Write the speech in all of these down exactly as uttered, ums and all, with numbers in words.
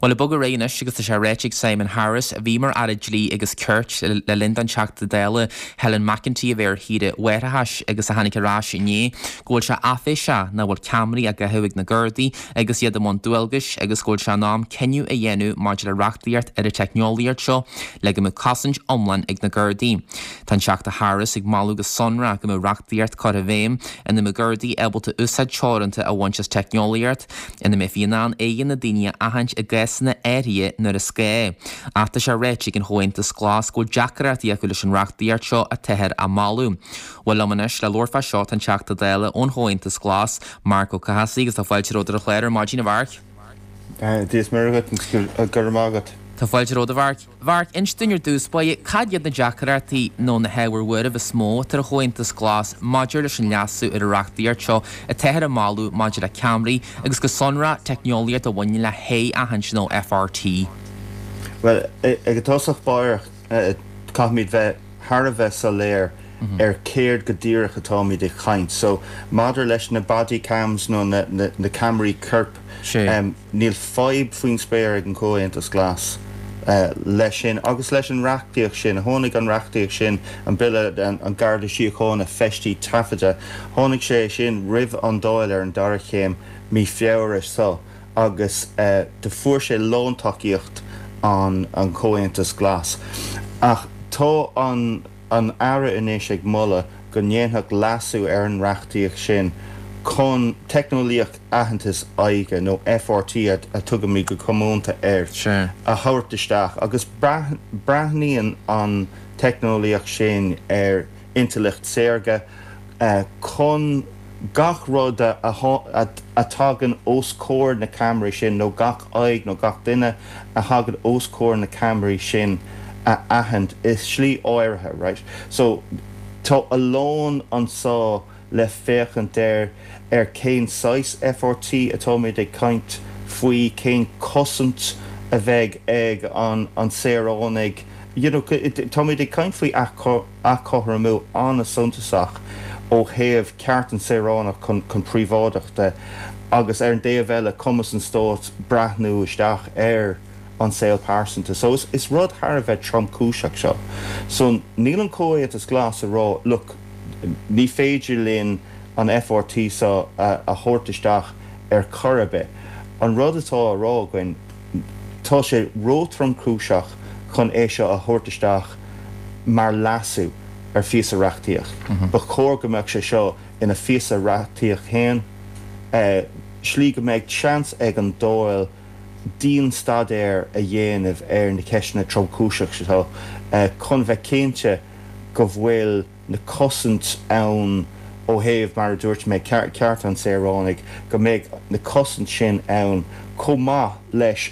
Well ag bogadh ar aghaidh anois agus tá sé ráite ag Simon Harris a bhí mar Aire Dlí agus Cirt le linn don Teachta Dála Helen McEntee a bheith ar shaoire mháithreachais agus a tháinig ar ais inné go bhfuil sé áiféiseach nach bhfuil ceamaraí á gcaitheamh ag na Gardaí agus iad i mbun dualgais agus go bhfuil sé in am cinneadh a dhéanamh maidir le reachtaíocht ar an teicneolaíocht seo le go mbeadh cosaint iomlán ag na Gardaí. Tá an Teachta Harris ag moladh go sonrach go mbeadh reachtaíocht curtha i bhfeidhm ina mbeadh Gardaí ábalta úsáid teoranta a bhaint as teicneolaíocht ina mbeifí in ann aghaidheanna daoine a aithint i gcásanna áirithe nuair is gá. Ach tá sé ráite ag an Chomhaontas Glas go bhfuil deacrachtaí acu leis an reachtaíocht seo atáthar á moladh. Bhuel liom anois le labhairt fá seo tá an Teachta Dála ón Chomhaontas Glas, Marc Ó Cathasaigh agus tá fáilte romhat ar an chlár ar maidin a Mhairc. Dia is Muire dhuit go raibh maith agat. Tá fáilte romhat a Mhairc. Mhairc, inis dúinn ar dtús báire cad iad na deacrachtaí nó na hábhair bhuairimh is mó atá ar an Chomhaontas Glas maidir leis an leasú ar an reachtaíocht seo atáthar á moladh maidir le ceamaraí agus go sonrach teicneolaíocht a bhaineann le haghaidh-aithint nó FRT. Well ag tosach báire caithfimid bheith thar a bheith soiléir ar céard go díreach atáimid ag caint. So maidir leis na body cams nó na, na, na ceamaraí coirp um, níl fadhb faoin spéir ag an Comhaontas Glas. Uh, leis sin agus leis an reachtaíocht sin tháinig an reachtaíocht sin an bille an, an Garda Síochána feistí taifeadta tháinig sé sin roimh an Dáil ar an dara chéim mí Feabhra so agus uh, do fuair sé lántacaíocht an an Comhaontas Glas. Ach tá an an Aire anois ag moladh go ndéanfadh leasú ar an reachtaíocht sin chun teicneolaíocht aitheantas aghaidhe nó FRT a, a tugaimid go comónta air a thabhairt isteach agus breathnaíonn an teicneolaíocht sin ar intleacht saorga uh, chun gach rud a, a, a tagann os comhair na ceamaraí sin nó gach aghaidh nó gach duine a thagann os comhair na ceamaraí sin a aithint i slí áirithe, right? So tá a lán anseo le féachaint ar ar cén saghas FRT atáimid ag caint faoi cén cosaint a bheidh ag an an saoránaigh you know, táimid ag caint faoi athchothromú an-suntasach ó thaobh ceart an saoránach chun chun príobháideachta agus ar an dtaobh eile cumas an stáit breathnú isteach ar an saol pearsanta. So is, is rud thar a bheith tromchúiseach seo. So níl an Comhaontas Glas a rá look ní féidir linn an FRT seo a, a thabhairt isteach ar chor ar bith. An rud atá á rá againn tá sé ró-thromchúiseach chun é seo a thabhairt isteach mar leasú ar phíosa reachtaíocht. Mm -hmm. Ba chóir go mbeadh sé seo ina phíosa reachtaíocht féin eh, slí go mbeidh seans ag an Dáil dianstaidéar a dhéanamh ar na ceisteanna tromchúiseach seo eh, chun bheith cinnte go bhfuil na cosaint ann ó thaobh mar a dúirt mé ceart an saoránaigh go mbeidh na cosaint sin ann chomh maith leis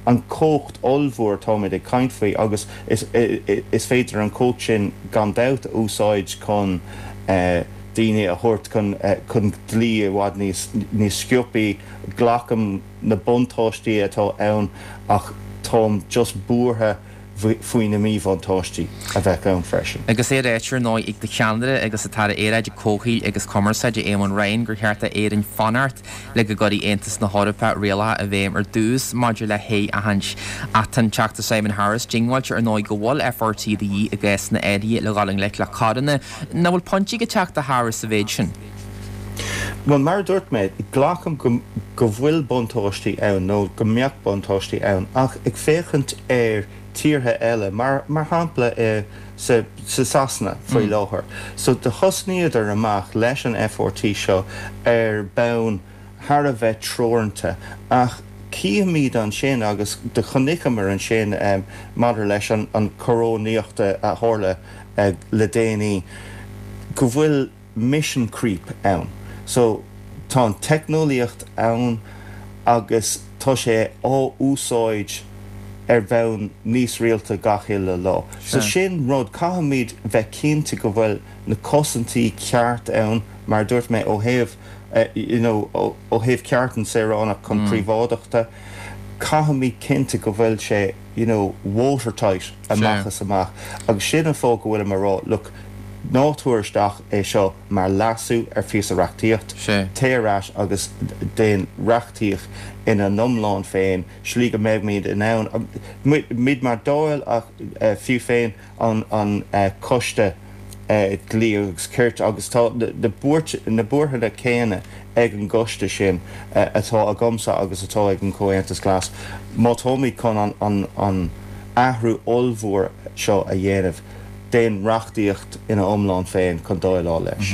an chumhacht ollmhór atáimid ag caint faoi agus is, is féidir an chumhacht sin gan dabht a úsáid chun uh, daoine a thabhairt chun uh, chun dlí i bhfad níos níos sciobtha glacaim na buntáistí atá ann ach táim just buartha faoi na míbhuntáistí a bheith ann freisin. Agus é ráite nó ag do cheannaire agus an tAire Aeráide Comhshaoil agus Cumarsáide Éamon Ryan gur cheart d'Éirinn fanacht le go gcuirfidh Aontas na hEorpa rialacha i bhfeidhm ar dtús maidir le haghaidh-aithint ach an Teachta Simon Harris diongbháilte ar ndóigh go bhfuil FRT de dhíth i gcásanna áirithe le dhul i ngleic le coireanna nach bhfuil pointe ag an Teachta Harris sa mhéid sin. Well mar dúirt mé glacaim go, go bhfuil buntáistí ann nó go mbeadh buntáistí ann ach ag féachaint ar tíortha eile mar mar shampla i sa, sa Sasana faoi mm. láthair. So do thosnaíodar amach leis an FRT seo ar bonn thar a bheith teoranta ach címid ansin agus do chonaiceamar ansin um, maidir leis an, an choróiníocht a tharla uh, le déanaí go bhfuil mission creep ann. So tá an teicneolaíocht ann agus tá sé á úsáid ar bhonn níos rialta gach uile lá. So sin rud caithfimid bheith cinnte go bhfuil na cosaintí ceart ann mar dúirt mé ó thaobh uh, you know, ó, ó thaobh ceart an saoránach chun mm. príobháideachta, caithfimid cinnte go bhfuil sé you know, watertight amach is amach agus sin an fáth go bhfuil mar rá look Ná tabhair isteach é seo mar leasú ar phíosa reachtaíocht, téigh ar ais agus déan reachtaíocht ina n-iomlán féin, slí go mbeimid in ann, muid mar Dáil ach fiú féin an Coiste Dlí agus Cirt, agus tá na buartha céanna ag an gcoiste sin atá agamsa agus atá ag an Chomhaontas Glas, má táimid chun an athrú ollmhór seo a dhéanamh, déan reachtaíocht ina iomlán féin chun déileáil leis.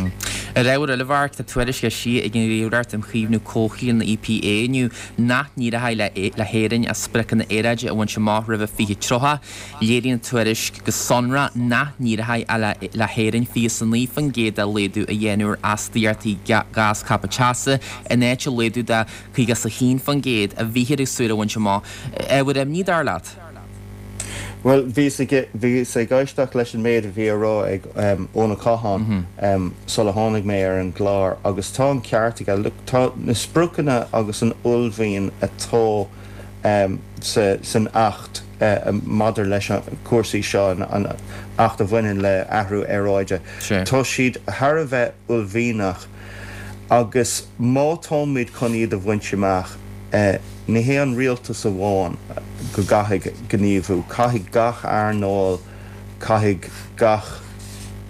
Ar ábhar eile, a Mharc, tá tuairisc eisithe ag an Ghníomhaireacht um Chaomhnú Comhshaoil, an E P A, inniu nach n-éireoidh le hÉirinn a spriocanna aeráide a bhaint amach roimhe fiche tríocha. Léiríonn an tuairisc go sonrach nach n-éireoidh le hÉirinn fiche is a naoi faoin gcéad de laghdú a dhéanamh ar astaíochtaí gás ceaptha teasa in áit an laghdú de caoga is a haon faoin gcéad a bhíthear ag súil a bhaint amach. Ábhar imní, dar leat? Bhuel, bhíos ag bhíos ag éisteacht leis an méid a bhí á rá ag Eoin Ó Catháin sula tháinig mé ar an gclár agus tá an ceart aige. Look, tá na spriocanna agus an uaillmhian atá sa san Acht maidir leis an cúrsaí seo, an Acht a bhaineann le athrú aeráide, tá siad thar a bheith uaillmhianach agus má táimid chun iad a bhaint amach, ní hé an rialtas amháin go gcaithfidh gníomhú, caithfidh gach earnáil, caithfidh gach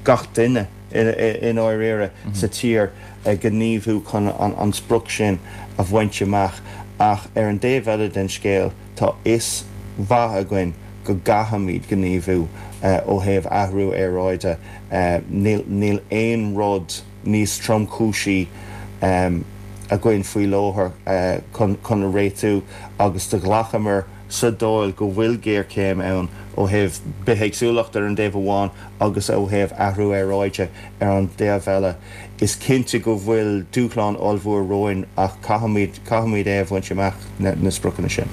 gach duine i ndáiríre sa tír gníomhú chun an sprioc sin a bhaint amach. Ach ar an dtaobh eile den scéal, tá fhios mhaith againn go gcaithfimid gníomhú ó thaobh athrú aeráide. Níl níl aon rud níos tromchúisí againn faoi láthair chun chun a réitiú agus do ghlacamar sa Dáil go bhfuil géarchéim ann ó thaobh bithéagsúlacht ar an dtaobh amháin agus ó thaobh athrú aeráide ar an dtaobh eile. Is cinnte go bhfuil dúshlán ollmhór romhainn ach caithfimid caithfimid é a bhaint amach, na spriocanna sin.